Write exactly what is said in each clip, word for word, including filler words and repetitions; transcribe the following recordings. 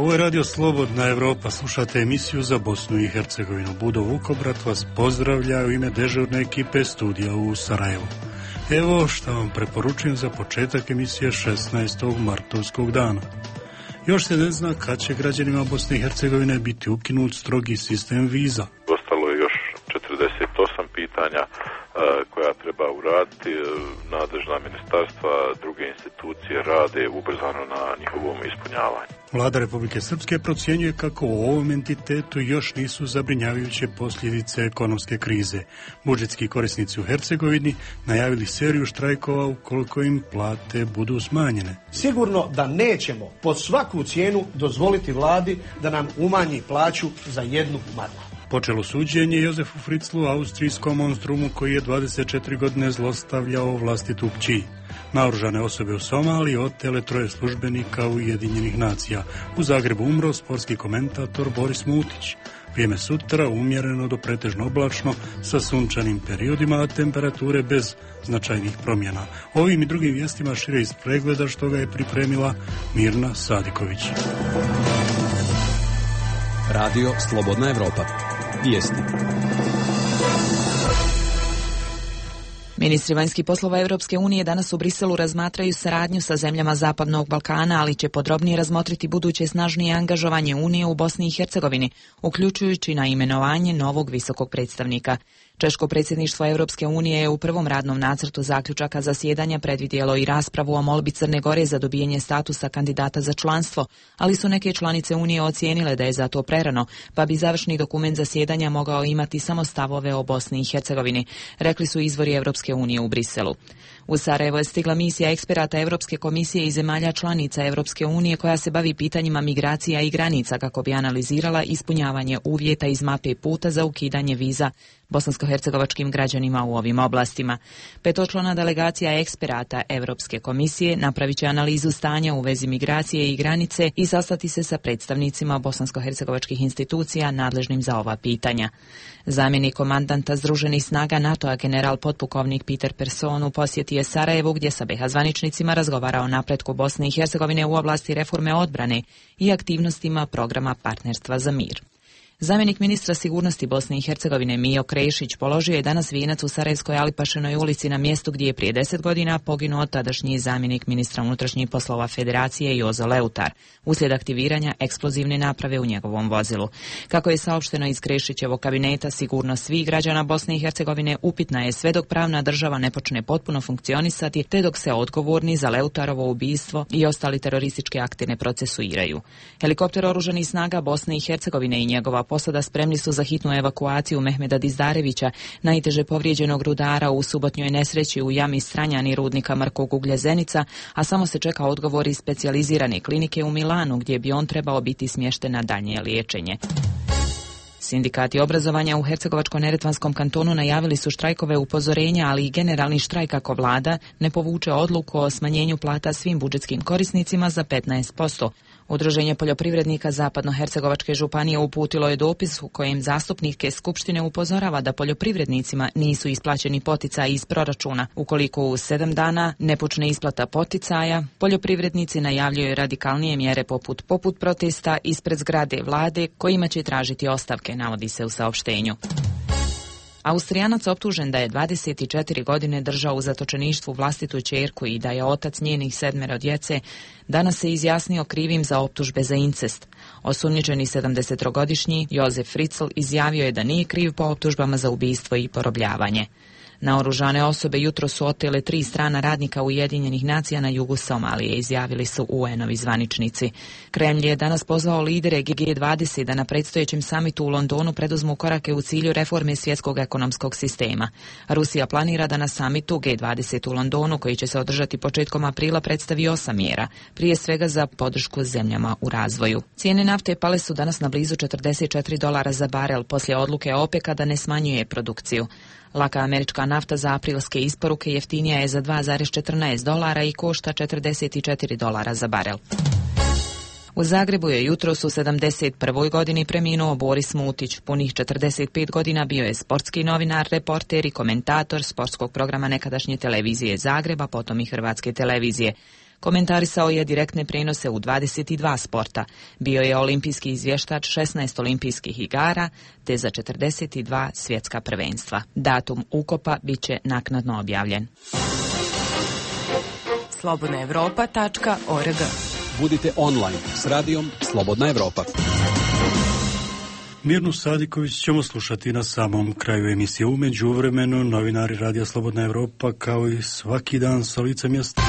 Ovo je Radio Slobodna Evropa, slušate emisiju za Bosnu i Hercegovinu. Budo Vukobrat vas pozdravlja u ime dežurne ekipe studija u Sarajevu. Evo što vam preporučujem za početak emisije šesnaestog martovskog dana. Još se ne zna kad će građanima Bosne i Hercegovine biti ukinut strogi sistem viza. Ostalo je još četrdeset osam pitanja koja treba uraditi. Nadležna ministarstva, druge institucije rade ubrzano na njihovom ispunjavanju. Vlada Republike Srpske procjenjuje kako u ovom entitetu još nisu zabrinjavajuće posljedice ekonomske krize. Budžetski korisnici u Hercegovini najavili seriju štrajkova ukoliko im plate budu smanjene. Sigurno da nećemo pod svaku cijenu dozvoliti vladi da nam umanji plaću za jednu marku. Počelo suđenje Jozefu Fritzlu, austrijskom monstrumu koji je dvadeset četiri godine zlostavljao vlastitu kći. Naoružane osobe u Somaliji otele troje službenika Ujedinjenih nacija. U Zagrebu umro sportski komentator Boris Mutić. Vrijeme sutra umjereno do pretežno oblačno sa sunčanim periodima, a temperature bez značajnih promjena. Ovim i drugim vijestima šire iz pregleda što ga je pripremila Mirna Sadiković. Radio Slobodna Evropa. Vijesti. Ministri vanjskih poslova Europske unije danas u Briselu razmatraju saradnju sa zemljama Zapadnog Balkana, ali će podrobnije razmotriti buduće snažnije angažovanje Unije u Bosni i Hercegovini, uključujući na imenovanje novog visokog predstavnika. Češko predsjedništvo Europske unije je u prvom radnom nacrtu zaključaka zasjedanja predvidjelo i raspravu o molbi Crne Gore za dobijanje statusa kandidata za članstvo, ali su neke članice Unije ocijenile da je za to prerano, pa bi završni dokument zasjedanja mogao imati samo stavove o Bosni i Hercegovini, rekli su izvori Europske unije u Briselu. U Sarajevo je stigla misija eksperata Europske komisije i zemalja članica Europske unije koja se bavi pitanjima migracija i granica kako bi analizirala ispunjavanje uvjeta iz mape puta za ukidanje viza bosansko-hercegovačkim građanima u ovim oblastima. Petočlana delegacija eksperata Europske komisije napravit će analizu stanja u vezi migracije i granice i sastati se sa predstavnicima bosansko-hercegovačkih institucija nadležnim za ova pitanja. Zamjenik komandanta Združenih snaga NATO-a general potpukovnik Peter Person u posjeti je Sarajevu gdje sa B iH zvaničnicima razgovara o napretku Bosne i Hercegovine u oblasti reforme odbrane i aktivnostima programa partnerstva za mir. Zamjenik ministra sigurnosti Bosne i Hercegovine Mijo Krešić položio je danas vijenac u Sarajevskoj Alipašinoj ulici na mjestu gdje je prije deset godina poginuo tadašnji zamjenik ministra unutrašnjih poslova Federacije Jozo Leutar uslijed aktiviranja eksplozivne naprave u njegovom vozilu. Kako je saopšteno iz Krešićevog kabineta, sigurnost svih građana Bosne i Hercegovine upitna je sve dok pravna država ne počne potpuno funkcionisati te dok se odgovorni za Leutarovo ubistvo i ostali teroristički akti ne procesuiraju. Helikopter oružanih snaga Bosne i Hercegovine i njegova posada spremni su za hitnu evakuaciju Mehmeda Dizdarevića, najteže povrijeđenog rudara u subotnjoj nesreći u jami Stranjani rudnika Mrkog uglja Zenica, a samo se čeka odgovor iz specijalizirane klinike u Milanu gdje bi on trebao biti smješten na daljnje liječenje. Sindikati obrazovanja u Hercegovačko-neretvanskom kantonu najavili su štrajkove upozorenja, ali i generalni štrajk ako vlada ne povuče odluku o smanjenju plata svim budžetskim korisnicima za petnaest posto. Udruženje poljoprivrednika Zapadno-Hercegovačke županije uputilo je dopis u kojem zastupnike Skupštine upozorava da poljoprivrednicima nisu isplaćeni poticaji iz proračuna. Ukoliko u sedam dana ne počne isplata poticaja, poljoprivrednici najavljuju radikalnije mjere poput poput protesta ispred zgrade vlade kojima će tražiti ostavke, navodi se u saopštenju. Austrijanac optužen da je dvadeset četiri godine držao u zatočeništvu vlastitu ćerku i da je otac njenih sedmero djece, danas se izjasnio krivim za optužbe za incest. Osumnjičeni sedamdesettrogodišnji Jozef Fritzl izjavio je da nije kriv po optužbama za ubistvo i porobljavanje. Naoružane osobe jutro su otele tri strana radnika Ujedinjenih nacija na jugu Somalije, izjavili su U N-ovi zvaničnici. Kremlj je danas pozvao lidere G dvadeset da na predstojećem samitu u Londonu preduzmu korake u cilju reforme svjetskog ekonomskog sistema. Rusija planira da na samitu G dvadeset u Londonu, koji će se održati početkom aprila, predstavi osam mjera, prije svega za podršku zemljama u razvoju. Cijene nafte pale su danas na blizu četrdeset četiri dolara za barel poslije odluke OPEC-a da ne smanjuje produkciju. Laka američka nafta za aprilske isporuke jeftinija je za dva zarez četrnaest dolara i košta četrdeset četiri dolara za barel. U Zagrebu je jutros u sedamdeset prvoj godini preminuo Boris Mutić. Punih četrdeset pet godina bio je sportski novinar, reporter i komentator sportskog programa nekadašnje televizije Zagreba, potom i Hrvatske televizije. Komentarisao je direktne prenose u dvadeset dva sporta. Bio je olimpijski izvještač šesnaest olimpijskih igara te za četrdeset dva svjetska prvenstva. Datum ukopa bit će naknadno objavljen. slobodna evropa tačka org. Budite online s radijom Slobodna Evropa. Mirnu Sadiković ćemo slušati na samom kraju emisije. U međuvremenu novinari Radija Slobodna Evropa kao i svaki dan sa lica mjesta.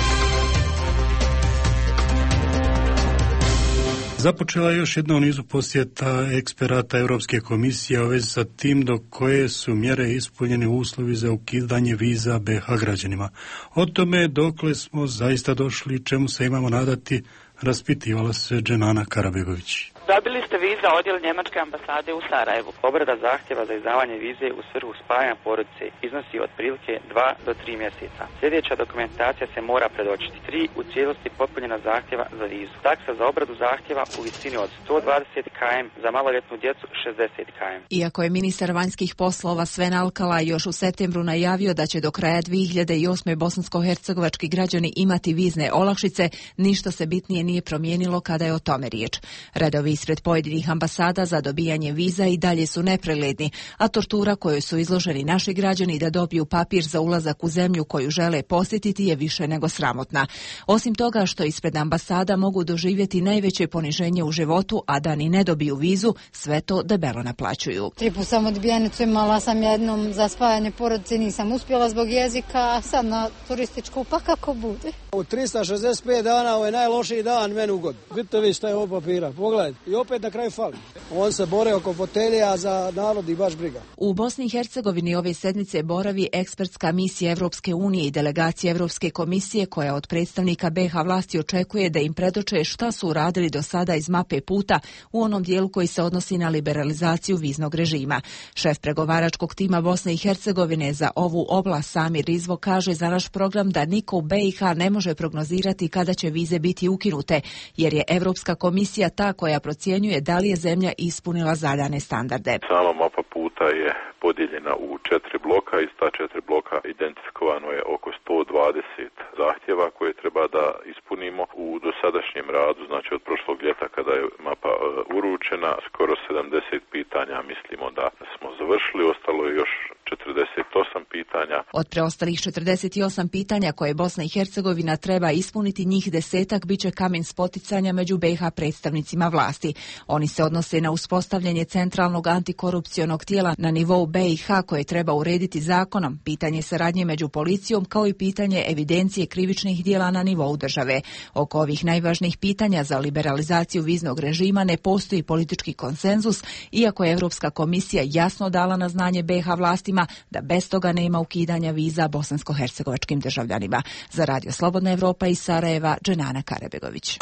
Započela je još jedna u nizu posjeta eksperata Europske komisije u vezi sa tim do koje su mjere ispunjeni uslovi za ukidanje viza be ha građanima. O tome dokle smo zaista došli, čemu se imamo nadati, raspitivala se Dženana Karabegović. Dobili ste viza odjel Njemačke ambasade u Sarajevu. Obrada zahtjeva za izdavanje vize u svrhu spajanja porodice iznosi otprilike dva do tri mjeseca. Sljedeća dokumentacija se mora predočiti. Tri u cijelosti popunjena zahtjeva za vizu. Taksa za obradu zahtjeva u visini od sto dvadeset kilometara, za maloljetnu djecu šezdeset kilometara. Iako je ministar vanjskih poslova Sven Alkala još u septembru najavio da će do kraja dvije hiljade osme bosansko-hercegovački građani imati vizne olakšice, ništa se bitnije nije promijenilo kada je o tome riječ. Redovi ispred pojedinih ambasada za dobijanje viza i dalje su nepregledni, a tortura kojoj su izloženi naši građani da dobiju papir za ulazak u zemlju koju žele posjetiti je više nego sramotna. Osim toga što ispred ambasada mogu doživjeti najveće poniženje u životu, a da ni ne dobiju vizu, sve to debelo naplaćuju. Tri put sam odbijenicu imala sam jednom za spajanje porodice, nisam uspjela zbog jezika, a sad na turističku, pa kako bude. U tristo šezdeset pet dana ovo je najlošiji dan meni u god. Vidite vi šta je ovo papira, pogledajte. I opet na kraju fali. On se bore oko fotelje, a za narod i baš briga. U Bosni i Hercegovini ove sedmice boravi ekspertska misija Evropske unije i delegacija Evropske komisije koja od predstavnika be ha vlasti očekuje da im predoče šta su uradili do sada iz mape puta u onom dijelu koji se odnosi na liberalizaciju viznog režima. Šef pregovaračkog tima Bosne i Hercegovine za ovu oblast Samir Rizvo kaže za naš program da niko u be i ha ne može prognozirati kada će vize biti ukinute, jer je Evropska komisija ta koja procjenjuje da li je zemlja ispunila zadane standarde. Sama mapa puta je podijeljena u četiri bloka. Iz ta četiri bloka identifikovano je oko sto dvadeset zahtjeva koje treba da ispunimo. U dosadašnjem radu, znači od prošlog ljeta kada je mapa uh, uručena, skoro sedamdeset pitanja mislimo da smo završili. Ostalo je još četrdeset osam pitanja. Od preostalih četrdeset osam pitanja koje Bosna i Hercegovina treba ispuniti, njih desetak biće kamen spoticanja među be ha predstavnicima vlasti. Oni se odnose na uspostavljanje centralnog antikorupcionog tijela na nivou be i ha koje treba urediti zakonom, pitanje saradnje među policijom kao i pitanje evidencije krivičnih djela na nivou države. Oko ovih najvažnijih pitanja za liberalizaciju viznog režima ne postoji politički konsenzus, iako je Evropska komisija jasno dala na znanje be ha vlastima da bez toga nema ukidanja viza bosansko-hercegovačkim državljanima. Za Radio Slobodna Evropa iz Sarajeva, Dženana Karabegović.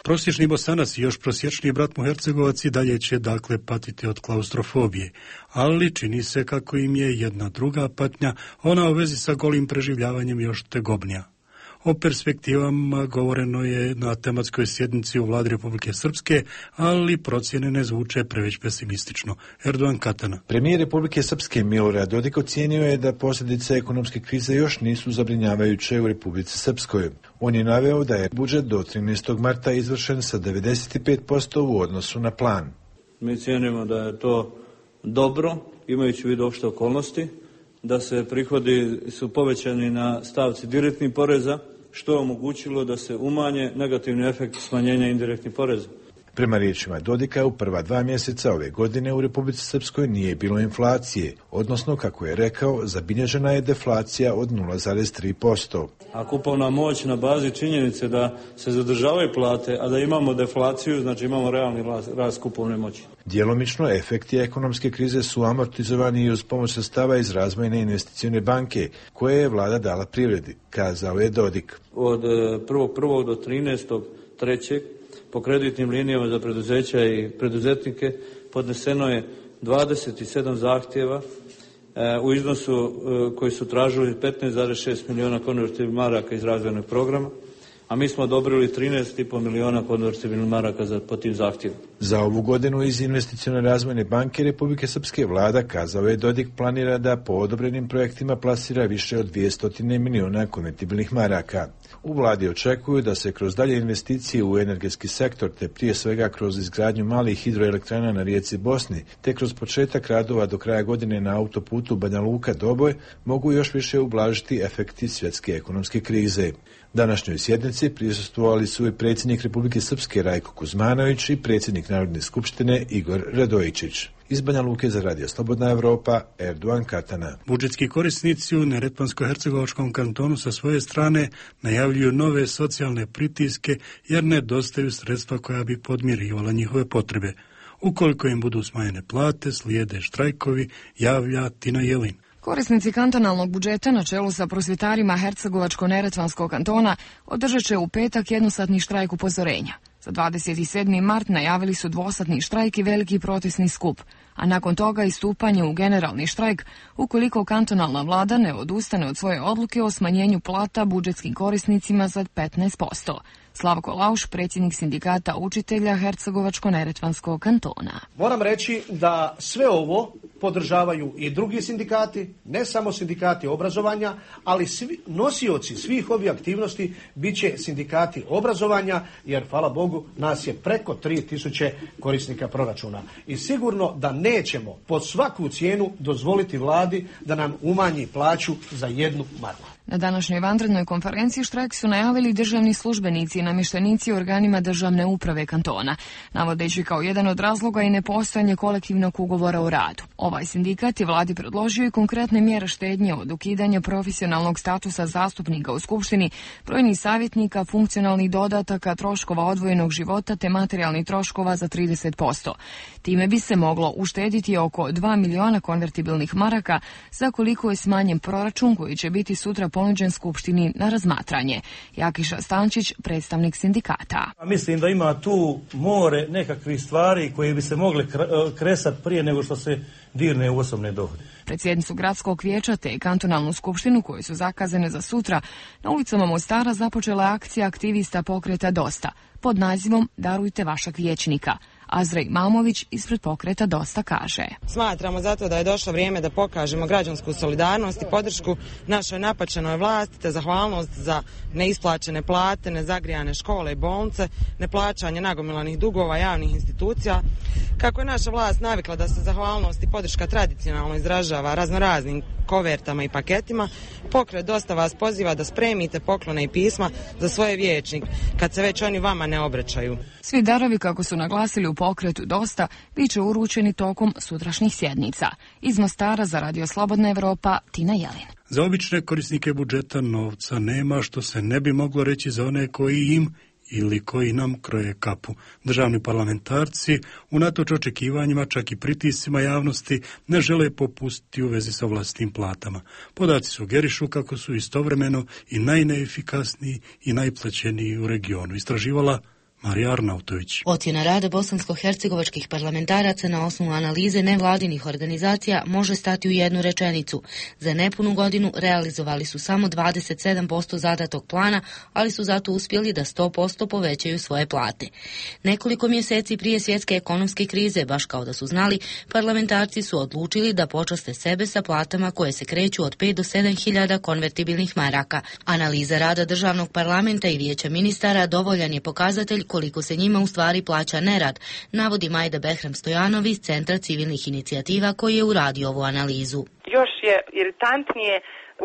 Prosječni Bosanac i još prosječniji brat mu Hercegovac i dalje će dakle patiti od klaustrofobije, ali čini se kako im je jedna druga patnja, ona u vezi sa golim preživljavanjem još tegobnija. O perspektivama govoreno je na tematskoj sjednici u Vladi Republike Srpske, ali procjene ne zvuče preveć pesimistično. Erdogan Katana. Premijer Republike Srpske Milorad Dodik ocijenio je da posljedice ekonomske krize još nisu zabrinjavajuće u Republici Srpskoj. On je naveo da je budžet do trinaestog marta izvršen sa devedeset pet posto u odnosu na plan. Mi cijenimo da je to dobro, imajući u vidu opšte okolnosti, da se prihodi su povećani na stavci direktnih poreza, što je omogućilo da se umanje negativni efekt smanjenja indirektnih poreza. Prema riječima Dodika, u prva dva mjeseca ove godine u Republici Srpskoj nije bilo inflacije, odnosno, kako je rekao, zabilježena je deflacija od nula zarez tri posto. A kupovna moć na bazi činjenice da se zadržavaju plate, a da imamo deflaciju, znači imamo realni rast kupovne moći. Djelomično efekti ekonomske krize su amortizovani i uz pomoć sredstava iz Razvojne investicione banke, koje je vlada dala privredi, kazao je Dodik. Od prvog prvog do trinaestog trećeg po kreditnim linijama za preduzeća i preduzetnike podneseno je dvadeset sedam zahtjeva e, u iznosu e, koji su tražili petnaest zarez šest miliona konvertibilnih maraka iz razvojnog programa. a mi smo odobrili trinaest i pol milijuna konvertibilnih maraka za, po tim zahtjevu. Za ovu godinu iz Investicione razvojne banke Republike Srpske vlada, kazao je, Dodik planira da po odobrenim projektima plasira više od dvjesto milijuna konvertibilnih maraka. U vladi očekuju da se kroz dalje investicije u energetski sektor, te prije svega kroz izgradnju malih hidroelektrana na rijeci Bosni, te kroz početak radova do kraja godine na autoputu Banja Luka-Doboj, mogu još više ublažiti efekti svjetske ekonomske krize. Današnjoj sjednici prisustvovali su i predsjednik Republike Srpske Rajko Kuzmanović i predsjednik Narodne skupštine Igor Radojičić. Iz Banja Luke za Radio Slobodna Evropa, Erdogan Katana. Budžetski korisnici u Neretvansko-Hercegovačkom kantonu sa svoje strane najavljuju nove socijalne pritiske jer nedostaju sredstva koja bi podmirivala njihove potrebe. Ukoliko im budu smanjene plate, slijede štrajkovi, javlja Tina Jelin. Korisnici kantonalnog budžeta na čelu sa prosvjetarima Hercegovačko-Neretvanskog kantona održat će u petak jednosatni štrajk upozorenja. Za dvadeset sedmi mart najavili su dvosatni štrajk i veliki protestni skup, a nakon toga i stupanje u generalni štrajk ukoliko kantonalna vlada ne odustane od svoje odluke o smanjenju plata budžetskim korisnicima za petnaest posto. Slavko Lauš, predsjednik sindikata učitelja Hercegovačko-Neretvanskog kantona. Moram reći da sve ovo podržavaju i drugi sindikati, ne samo sindikati obrazovanja, ali svi nosioci svih ovih aktivnosti bit će sindikati obrazovanja, jer hvala Bogu nas je preko tri tisuće korisnika proračuna. I sigurno da nećemo pod svaku cijenu dozvoliti vladi da nam umanji plaću za jednu marku. Na današnjoj vanrednoj konferenciji štrajk su najavili državni službenici i namještenici u organima državne uprave kantona, navodeći kao jedan od razloga i nepostojanje kolektivnog ugovora o radu. Ovaj sindikat je vladi predložio i konkretne mjere štednje od ukidanja profesionalnog statusa zastupnika u skupštini, brojnih savjetnika, funkcionalnih dodataka, troškova odvojenog života te materijalnih troškova za trideset posto. Time bi se moglo uštediti oko dva miliona konvertibilnih maraka za koliko je smanjen proračun koji će biti sutra ponuđen skupštini na razmatranje. Jakiša Stančić, predstavnik sindikata. Mislim da ima tu more nekakvih stvari koje bi se mogle kresati prije nego što se dirne u osobne dohode. Predsjednicu gradskog vijeća te kantonalnu skupštinu koje su zakazane za sutra na ulicama Mostara započela akcija aktivista pokreta Dosta pod nazivom Darujte vašeg vijećnika. Azrej Mamović ispred pokreta Dosta kaže: Smatramo zato da je došlo vrijeme da pokažemo građansku solidarnost i podršku našoj napačenoj vlasti te zahvalnost za neisplaćene plate, nezagrijane škole i bolnice, neplaćanje nagomilanih dugova javnih institucija. Kako je naša vlast navikla da se zahvalnost i podrška tradicionalno izražava raznoraznim kovertama i paketima, pokret Dosta vas poziva da spremite poklone i pisma za svoje vijećnike kad se već oni vama ne obraćaju. Svi darovi, kako su naglasili u pokretu Dosta, bit će uručeni tokom sutrašnjih sjednica. Iz Mostara za Radio Slobodna Evropa, Tina Jelin. Za obične korisnike budžeta novca nema, što se ne bi moglo reći za one koji im ili koji nam kroje kapu. Državni parlamentarci, unatoč očekivanjima, čak i pritiscima javnosti, ne žele popustiti u vezi sa vlastnim platama. Podaci sugerišu kako su istovremeno i najneefikasniji i najplaćeniji u regionu. Istraživala Marija Arnautović. Ocjena rada bosansko-hercegovačkih parlamentaraca na osnovu analize nevladinih organizacija može stati u jednu rečenicu. Za nepunu godinu realizovali su samo dvadeset sedam posto zadatog plana, ali su zato uspjeli da sto posto povećaju svoje plate. Nekoliko mjeseci prije svjetske ekonomske krize, baš kao da su znali, parlamentarci su odlučili da počaste sebe sa platama koje se kreću od pet do sedam hiljada konvertibilnih maraka. Analiza rada državnog parlamenta i vijeća ministara dovoljan je pokazatelj koliko se njima u stvari plaća nerad, navodi Majda Behram Stojanovi iz Centra civilnih inicijativa koji je uradio ovu analizu. Još je iritantnije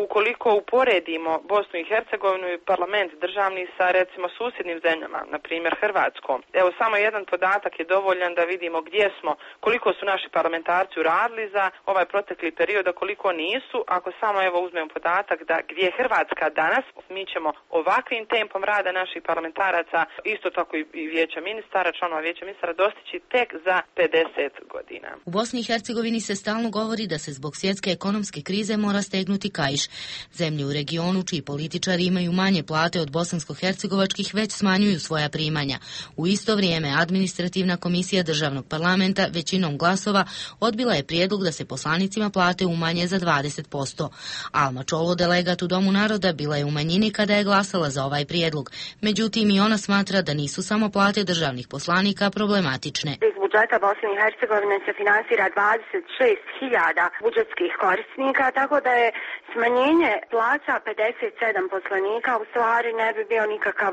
ukoliko uporedimo Bosnu i Hercegovinu i parlament državni sa recimo susjednim zemljama, na primjer Hrvatskom. Evo samo jedan podatak je dovoljan da vidimo gdje smo, koliko su naši parlamentarci uradili za ovaj protekli period, a koliko nisu. Ako samo evo uzmemo podatak da gdje je Hrvatska danas, mi ćemo ovakvim tempom rada naših parlamentaraca, isto tako i vijeća ministara, članova vijeća ministara, dostići tek za pedeset godina. U Bosni i Hercegovini se stalno govori da se zbog svjetske ekonomske krize mora stegnuti kaiš Niš. Zemlje u regionu čiji političari imaju manje plate od bosansko-hercegovačkih već smanjuju svoja primanja. U isto vrijeme administrativna komisija državnog parlamenta većinom glasova odbila je prijedlog da se poslanicima plate umanje za dvadeset posto. Alma Čolo, delegat u Domu naroda, bila je u manjini kada je glasala za ovaj prijedlog. Međutim, i ona smatra da nisu samo plate državnih poslanika problematične. Iz budžeta Bosne i Hercegovine se finansira dvadeset šest hiljada budžetskih korisnika, tako da je smanjenje plaća pedeset sedam poslanika u stvari ne bi bio nikakav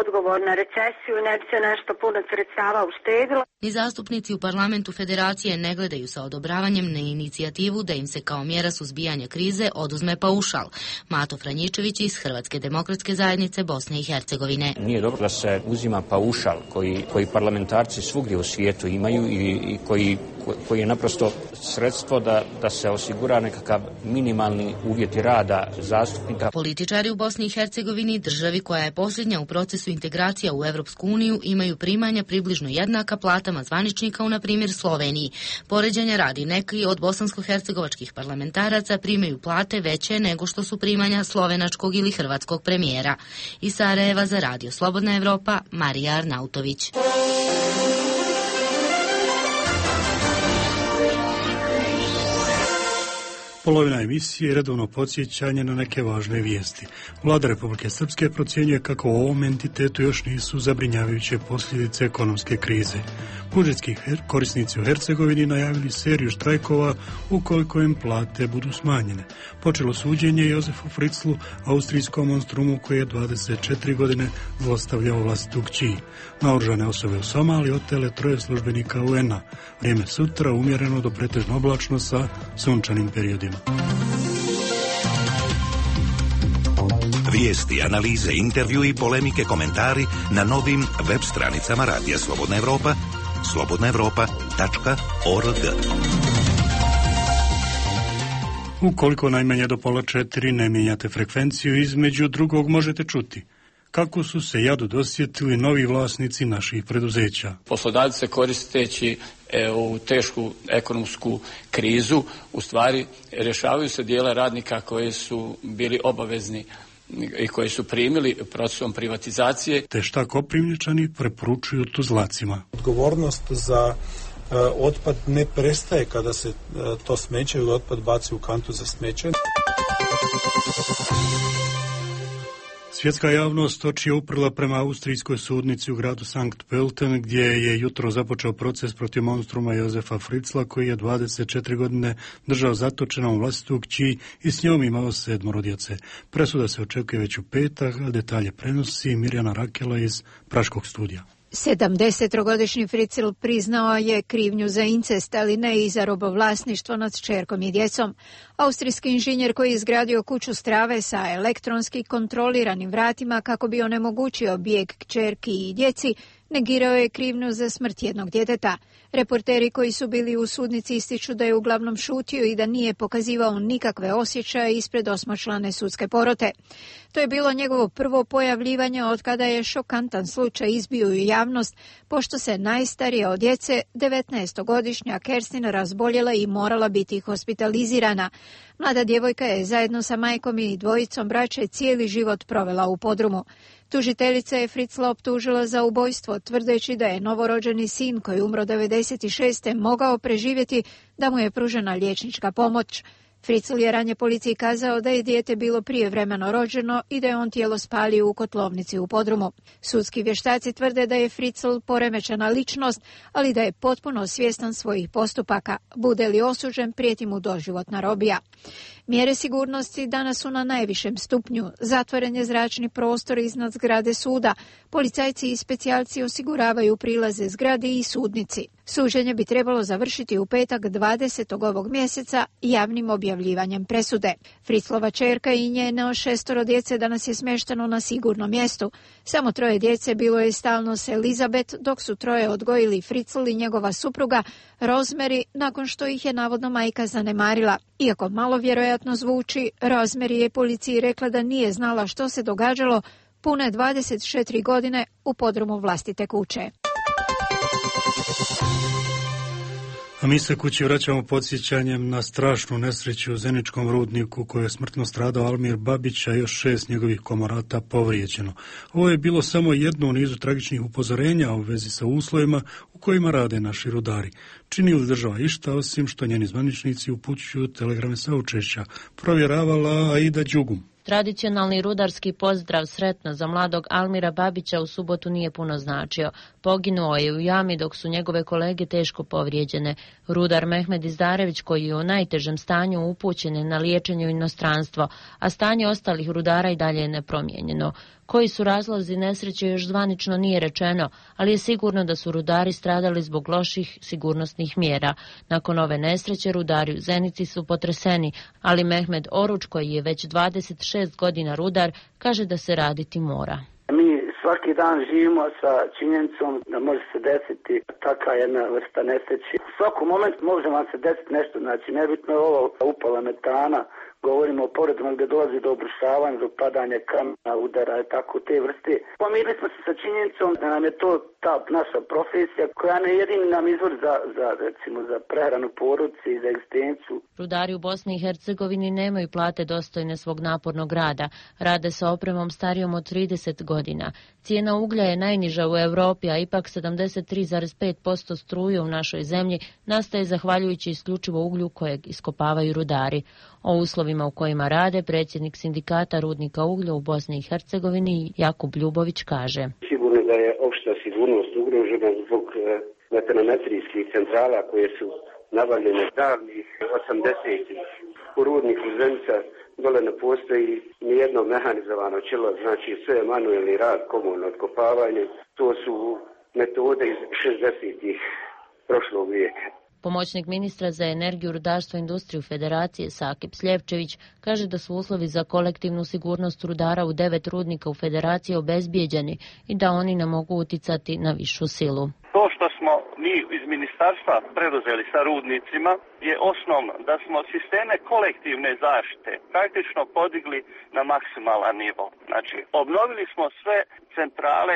odgovor na recesiju, ne bi se nešto puno sredstava uštedilo. Ni zastupnici u parlamentu federacije ne gledaju sa odobravanjem na inicijativu da im se kao mjera suzbijanja krize oduzme paušal. Mato Franjičević iz Hrvatske demokratske zajednice Bosne i Hercegovine. Nije dobro da se uzima paušal koji, koji parlamentarci svugdje u svijetu imaju i, i koji, koji je naprosto sredstvo da, da se osigura nekakav minimalni uvjeti rada zastupnika. Političari u Bosni i Hercegovini, državi koja je posljednja u procesu integracija u Europsku uniju, imaju primanja približno jednaka platama zvaničnika u, na primjer, Sloveniji. Poređenja radi, neki od bosansko-hercegovačkih parlamentaraca primaju plate veće nego što su primanja slovenačkog ili hrvatskog premijera. Iz Sarajeva za Radio Slobodna Evropa, Marija Arnautović. Polovina emisije je redovno podsjećanje na neke važne vijesti. Vlada Republike Srpske procjenjuje kako u ovom entitetu još nisu zabrinjavajuće posljedice ekonomske krize. Budžetski korisnici u Hercegovini najavili seriju štrajkova ukoliko im plate budu smanjene. Počelo suđenje Jozefu Fritzlu, austrijskom monstrumu koji je dvadeset četiri godine zlostavljao vlastitu kći. Naoružane osobe u Somaliji otele troje službenika U N-a. Vrijeme sutra umjereno do pretežno oblačno sa sunčanim periodima. Vijesti, analize, intervju i polemike, komentari na novim web stranicama Radija Slobodna Evropa, slobodna evropa tačka org. Ukoliko najmanje do pola četiri ne mijenjate frekvenciju, između drugog možete čuti kako su se jadu dosjetili novi vlasnici naših preduzeća. Poslodavci se koristeći e, u tešku ekonomsku krizu, u stvari rješavaju se dijela radnika koji su bili obavezni i koji su primili procesom privatizacije. Te šta Koprivničani preporučuju Tuzlacima. Odgovornost za e, otpad ne prestaje kada se e, to smeće ili otpad baci u kantu za smeće. Svjetska javnost oči je uprla prema austrijskoj sudnici u gradu Sankt Pölten, gdje je jutro započeo proces protiv monstruma Jozefa Fritzla, koji je dvadeset četiri godine držao zatočenom vlastitu kći i s njom imao sedmoro djece. Presuda se očekuje već u petak, a detalje prenosi Mirjana Rakela iz Praškog studija. sedamdesetogodišnji Fritzl priznao je krivnju za incest, ali ne i za robovlasništvo nad kćerkom i djecom. Austrijski inženjer koji je izgradio kuću strave sa elektronski kontroliranim vratima kako bi onemogućio bijeg kćerki i djeci, negirao je krivnju za smrt jednog djeteta. Reporteri koji su bili u sudnici ističu da je uglavnom šutio i da nije pokazivao nikakve osjećaje ispred osmočlane sudske porote. To je bilo njegovo prvo pojavljivanje od kada je šokantan slučaj izbio u javnost, pošto se najstarija od djece, devetnaestogodišnja Kerstin, razboljela i morala biti hospitalizirana. Mlada djevojka je zajedno sa majkom i dvojicom braće cijeli život provela u podrumu. Tužiteljica je Fritzla optužila za ubojstvo, tvrdeći da je novorođeni sin koji umro devedeset šeste mogao preživjeti da mu je pružena liječnička pomoć. Fritzl je ranije policiji kazao da je dijete bilo prijevremeno rođeno i da je on tijelo spalio u kotlovnici u podrumu. Sudski vještaci tvrde da je Fritzl poremećena ličnost, ali da je potpuno svjestan svojih postupaka. Bude li osuđen, prijeti mu doživotna robija. Mjere sigurnosti danas su na najvišem stupnju. Zatvoren je zračni prostor iznad zgrade suda. Policajci i specijalci osiguravaju prilaze zgradi i sudnici. Suđenje bi trebalo završiti u petak dvadesetog ovog mjeseca javnim objavljivanjem presude. Fritzlova ćerka i njeno šestoro djece danas je smješteno na sigurnom mjestu. Samo troje djece bilo je stalno s Elizabeth, dok su troje odgojili Fritzl i njegova supruga Rosemary, nakon što ih je navodno majka zanemarila. Iako malo vjerojatno zvuči, Rosemary je policiji rekla da nije znala što se događalo pune dvadeset četiri godine u podrumu vlastite kuće. A mi se kući vraćamo podsjećanjem na strašnu nesreću u Zeničkom rudniku koju je smrtno stradao Almir Babić, a još šest njegovih komorata povrijeđeno. Ovo je bilo samo jedno u nizu tragičnih upozorenja u vezi sa uslovima u kojima rade naši rudari. Čini li država išta osim što njeni zvaničnici upućuju telegrame saučešća, provjeravala Aida Đugum. Tradicionalni rudarski pozdrav sretno za mladog Almira Babića u subotu nije puno značio. Poginuo je u jami dok su njegove kolege teško povrijeđene. Rudar Mehmed Izdarević, koji je u najtežem stanju, upućen je na liječenje u inostranstvo, a stanje ostalih rudara i dalje je nepromijenjeno. Koji su razlozi nesreće još zvanično nije rečeno, ali je sigurno da su rudari stradali zbog loših sigurnosnih mjera. Nakon ove nesreće rudari u Zenici su potreseni, ali Mehmed Oruč, koji je već dvadeset šest godina rudar, kaže da se raditi mora. Mi svaki dan živimo sa činjenicom da može se desiti takva jedna vrsta nesreće. U svakom momentu može vam se desiti nešto, znači nebitno je ovo upala metana, govorimo o poredima gdje dolazi do obrušavanja, do padanja kamena, udara i tako te vrste. Pomirili smo se sa činjenicom da nam je to ta naša profesija koja ne jedini nam izvor za, za, recimo, za prehranu porodice i za egzistenciju. Rudari u Bosni i Hercegovini nemaju plate dostojne svog napornog rada. Rade sa opremom starijom od trideset godina. Cijena uglja je najniža u Europi, a ipak sedamdeset tri zarez pet posto struje u našoj zemlji nastaje zahvaljujući isključivo uglju kojeg iskopavaju rudari. O uslovima u kojima rade predsjednik sindikata rudnika uglja u Bosni i Hercegovini Jakub Ljubović kaže: Sigurno da je opšta sigurnost ugrožena zbog metanometrijskih centrala koje su nabavljene davnih osamdesetih. U rudniku Zenica dole ne postoji nijedno mehanizovano čelo, znači sve je manuelni rad, komunalno otkopavanje. To su metode iz šezdesetih prošlog vijeka. Pomoćnik ministra za energiju, rudarstvo i industriju Federacije Sakip Sljevčević kaže da su uslovi za kolektivnu sigurnost rudara u devet rudnika u Federaciji obezbijeđeni i da oni ne mogu uticati na višu silu. To što smo mi iz ministarstva preduzeli sa rudnicima je osnovno da smo sisteme kolektivne zaštite praktično podigli na maksimalan nivo. Znači, obnovili smo sve centrale.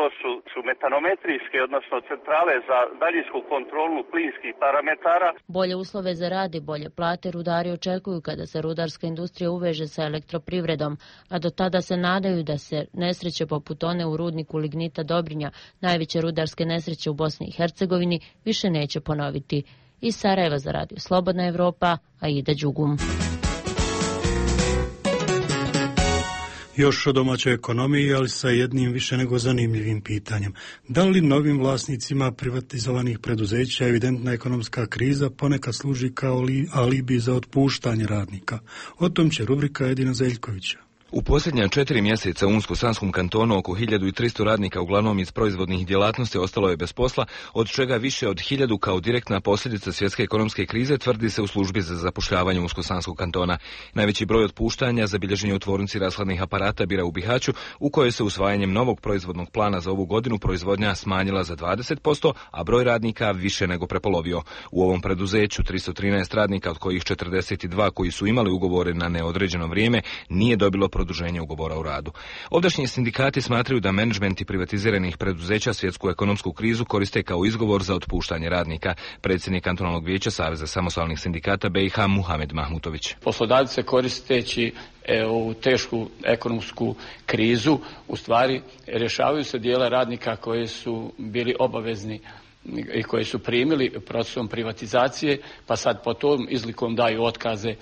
To su, su metanometrijske, odnosno centrale za daljinsku kontrolu plinskih parametara. Bolje uslove za rad i bolje plate rudari očekuju kada se rudarska industrija uveže sa elektroprivredom, a do tada se nadaju da se nesreće poput one u rudniku lignita Dobrinja, najveće rudarske nesreće u Bosni i Hercegovini, više neće ponoviti. Iz Sarajeva za radio Slobodna Evropa, Aida Đugum. Još o domaćoj ekonomiji, ali sa jednim više nego zanimljivim pitanjem. Da li novim vlasnicima privatizovanih preduzeća evidentna ekonomska kriza ponekad služi kao alibi za otpuštanje radnika? O tom će rubrika Edina Zeljkovića. U posljednja četiri mjeseca u Unsko-Sanskom kantonu oko hiljadu tristo radnika, uglavnom iz proizvodnih djelatnosti, ostalo je bez posla, od čega više od hiljadu kao direktna posljedica svjetske ekonomske krize, tvrdi se u službi za zapošljavanje Unsko-Sanskog kantona. Najveći broj otpuštanja zabilježen je u tvornici rashladnih aparata Bira u Bihaću, u kojoj se usvajanjem novog proizvodnog plana za ovu godinu proizvodnja smanjila za dvadeset posto, a broj radnika više nego prepolovio. U ovom preduzeću tristo trinaest radnika, od kojih četrdeset dva koji su imali ugovore na neodređeno vrijeme, nije dobilo produženje ugovora o radu. Ovdašnji sindikati smatraju da menadžmenti privatiziranih preduzeća svjetsku ekonomsku krizu koriste kao izgovor za otpuštanje radnika. Predsjednik kantonalnog vijeća Saveza samostalnih sindikata B i H Muhamed Mahmutović. Poslodavci se koristeći u tešku ekonomsku krizu u stvari rješavaju se dijela radnika koji su bili obavezni i koji su primili procesom privatizacije, pa sad po tom izlikom daju otkaze,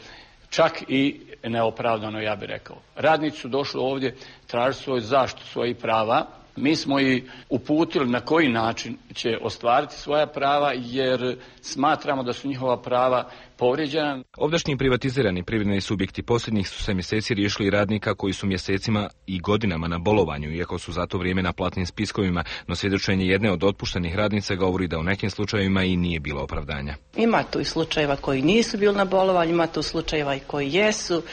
čak i neopravdano, ja bih rekao. Radnici su došli ovdje tražiti svoju zaštitu svojih prava. Mi smo i uputili na koji način će ostvariti svoja prava, jer smatramo da su njihova prava povrijeđena. Ovdašnji privatizirani privredni subjekti posljednjih su se mjeseci riješili radnika koji su mjesecima i godinama na bolovanju, iako su za to vrijeme na platnim spiskovima, no svjedočenje jedne od otpuštenih radnica govori da u nekim slučajevima i nije bilo opravdanja. Ima tu i slučajeva koji nisu bili na bolovanju, ima tu slučajeva i koji jesu.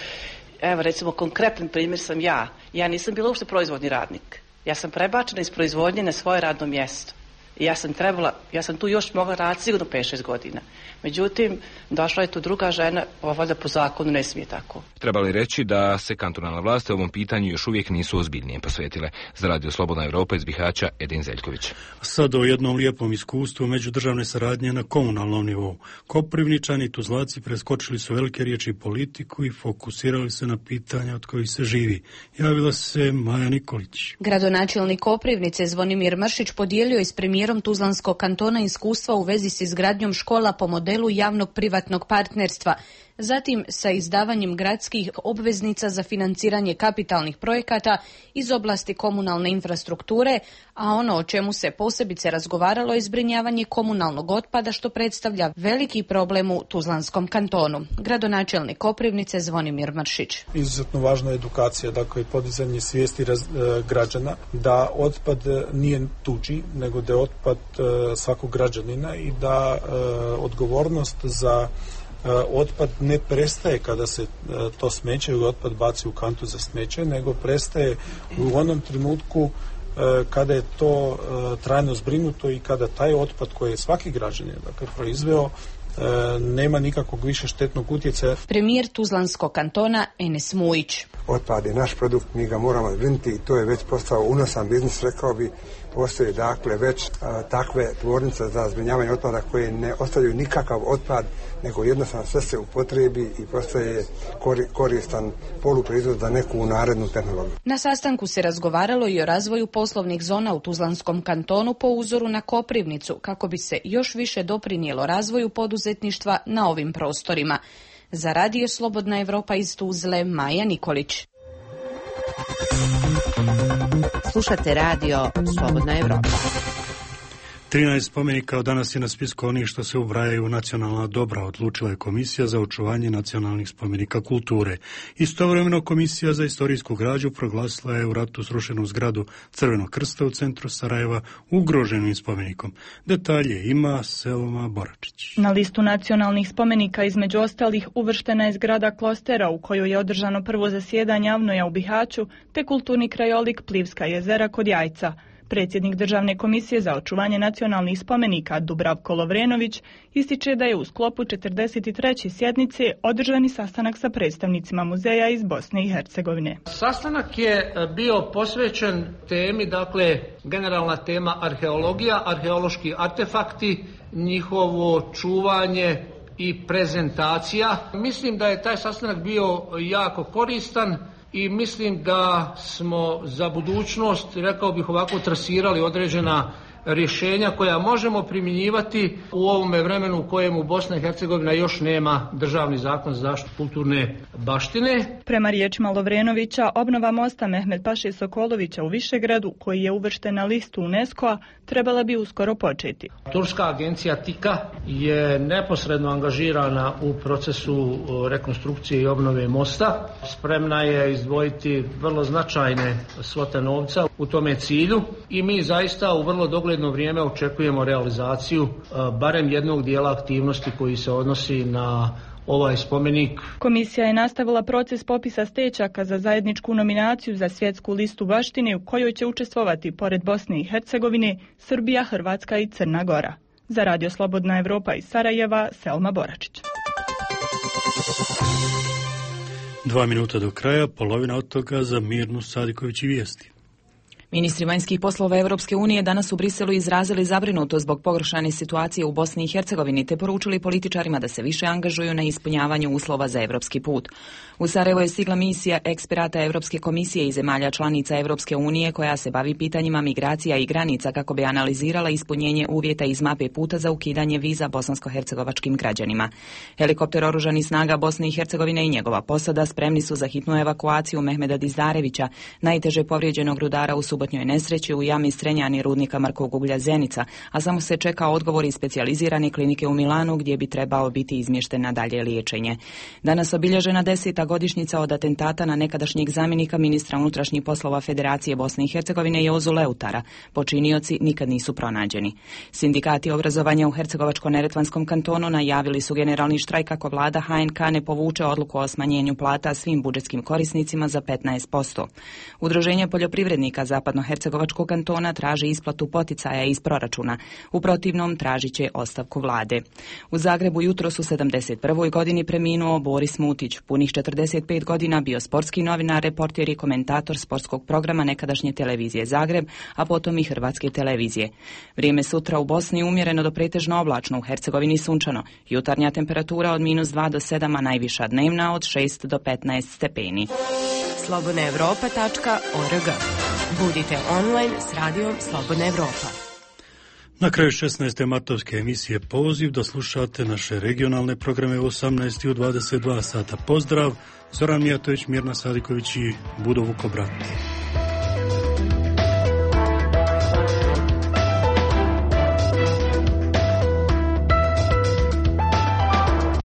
Evo, recimo, konkretan primjer sam ja. Ja nisam bila uopšte proizvodni radnik. Ja sam prebačena iz proizvodnje na svoje radno mjesto. I ja sam trebala Ja sam tu još mogla raditi sigurno pet šest godina. Međutim, došla je tu druga žena, valjda po zakonu ne smije tako. Treba li reći da se kantonalne vlasti ovom pitanju još uvijek nisu ozbiljnije posvetile? Za Radio Slobodna Europa iz Bihaća, Edin Zeljković. Sad o jednom lijepom iskustvu međudržavne saradnje na komunalnom nivou. Koprivničani i Tuzlaci preskočili su velike riječi i politiku i fokusirali se na pitanja od kojih se živi. Javila se Maja Nikolić. Gradonačelnik Koprivnice Zvonimir Mršić podijelio je s premijerom Tuzlanskog kantona iskustva u vezi s izgradnjom škola po modelu javnog privatnog partnerstva. Zatim sa izdavanjem gradskih obveznica za financiranje kapitalnih projekata iz oblasti komunalne infrastrukture, a ono o čemu se posebice razgovaralo je zbrinjavanje komunalnog otpada, što predstavlja veliki problem u Tuzlanskom kantonu. Gradonačelnik Koprivnice Zvonimir Mršić. Izuzetno važna je edukacija, dakle podizanje svijesti raz, e, građana da otpad nije tuđi, nego da je otpad e, svakog građanina i da e, odgovornost za otpad ne prestaje kada se to smeće ili otpad baci u kantu za smeće, nego prestaje u onom trenutku kada je to trajno zbrinuto i kada taj otpad koji je svaki građanin dakle, proizveo nema nikakvog više štetnog utjecaja. Premijer Tuzlanskog kantona Enes Mujić. Otpad je naš produkt, mi ga moramo zbrinuti i to je već postao unosan biznis, rekao bi. Postoje dakle već a, takve tvornice za zbrinjavanje otpada koje ne ostavljaju nikakav otpad, nego jednostavno sve se upotrebi i postaje kori, koristan poluproizvod za neku narednu tehnologiju. Na sastanku se razgovaralo i o razvoju poslovnih zona u Tuzlanskom kantonu po uzoru na Koprivnicu, kako bi se još više doprinijelo razvoju poduzetništva na ovim prostorima. Za Radio Slobodna Europa iz Tuzle, Maja Nikolić. Slušate Radio Slobodna Evropa. trinaest spomenika od danas je na spisku onih što se ubrajaju u nacionalna dobra, odlučila je Komisija za očuvanje nacionalnih spomenika kulture. Istovremeno Komisija za istorijsku građu proglasila je u ratu srušenu zgradu Crvenog krsta u centru Sarajeva ugroženim spomenikom. Detalje ima Selma Boračić. Na listu nacionalnih spomenika između ostalih uvrštena je zgrada Klostera u kojoj je održano prvo zasjedanje Avnoja u Bihaću, te kulturni krajolik Plivska jezera kod Jajca. Predsjednik Državne komisije za očuvanje nacionalnih spomenika Dubravko Lovrenović ističe da je u sklopu četrdeset treće sjednice održani sastanak sa predstavnicima muzeja iz Bosne i Hercegovine. Sastanak je bio posvećen temi, dakle, generalna tema arheologija, arheološki artefakti, njihovo čuvanje i prezentacija. Mislim da je taj sastanak bio jako koristan i mislim da smo za budućnost, rekao bih ovako, trasirali određena rješenja koja možemo primjenjivati u ovome vremenu u kojemu Bosna i Hercegovina još nema državni zakon za zaštitu kulturne baštine. Prema riječima Lovrenovića, obnova mosta Mehmed Paše Sokolovića u Višegradu, koji je uvršten na listu UNESCO-a, trebala bi uskoro početi. Turska agencija TIKA je neposredno angažirana u procesu rekonstrukcije i obnove mosta. Spremna je izdvojiti vrlo značajne svote novca u tome cilju i mi zaista u vrlo dogledno vrijeme očekujemo realizaciju barem jednog dijela aktivnosti koji se odnosi na ovaj spomenik. Komisija je nastavila proces popisa stečaka za zajedničku nominaciju za svjetsku listu baštine u kojoj će učestvovati pored Bosne i Hercegovine, Srbija, Hrvatska i Crna Gora. Za Radio Slobodna Evropa iz Sarajeva, Selma Boračić. Dva minuta do kraja, polovina od toga za Mirnu Sadiković i vijesti. Ministri vanjskih poslova Europske unije danas u Briselu izrazili zabrinutost zbog pogoršane situacije u Bosni i Hercegovini te poručili političarima da se više angažuju na ispunjavanju uslova za europski put. U Sarajevo je stigla misija eksperata Europske komisije i zemalja članica Europske unije koja se bavi pitanjima migracija i granica kako bi analizirala ispunjenje uvjeta iz mape puta za ukidanje viza bosansko-hercegovačkim građanima. Helikopter oružanih snaga Bosne i Hercegovine i njegova posada spremni su za hitnu evakuaciju Mehmeda Dizdarevića, najteže povrijeđenog rudara u subotnjoj nesreći u jami Strenjani rudnika Markovog uglja Zenica, a samo se čeka odgovor iz specijalizirane klinike u Milanu gdje bi trebao biti izmješten na dalje liječenje. Danas obilježena deseta godišnjica od atentata na nekadašnjeg zamjenika ministra unutrašnjih poslova Federacije Bosne i Hercegovine Jozu Leutara. Počinioci nikad nisu pronađeni. Sindikati obrazovanja u Hercegovačko-neretvanskom kantonu najavili su generalni štrajk ako vlada H N K ne povuče odluku o smanjenju plata svim budžetskim korisnicima za petnaest posto. Udruženje poljoprivrednika Zapadnog zapadnohercegovačkog kantona traži isplatu poticaja iz proračuna. U protivnom tražit će ostavku vlade. U Zagrebu jutros u sedamdeset prvoj godini preminuo Boris Mutić. Punih četrdeset pet godina bio sportski novinar, reporter i komentator sportskog programa nekadašnje televizije Zagreb, a potom i Hrvatske televizije. Vrijeme sutra u Bosni umjereno do pretežno oblačno, u Hercegovini sunčano. Jutarnja temperatura od minus dva do sedam, a najviša dnevna od šest do petnaest stepeni. slobodna evropa tačka org. Budite online s radijom Slobodna Evropa. Na kraju šesnaeste martovske emisije Poziv da slušate naše regionalne programe u osamnaest i u dvadeset dva sata. Pozdrav, Zoran Mijatović, Mirna Sadiković i Budo Vukobrat.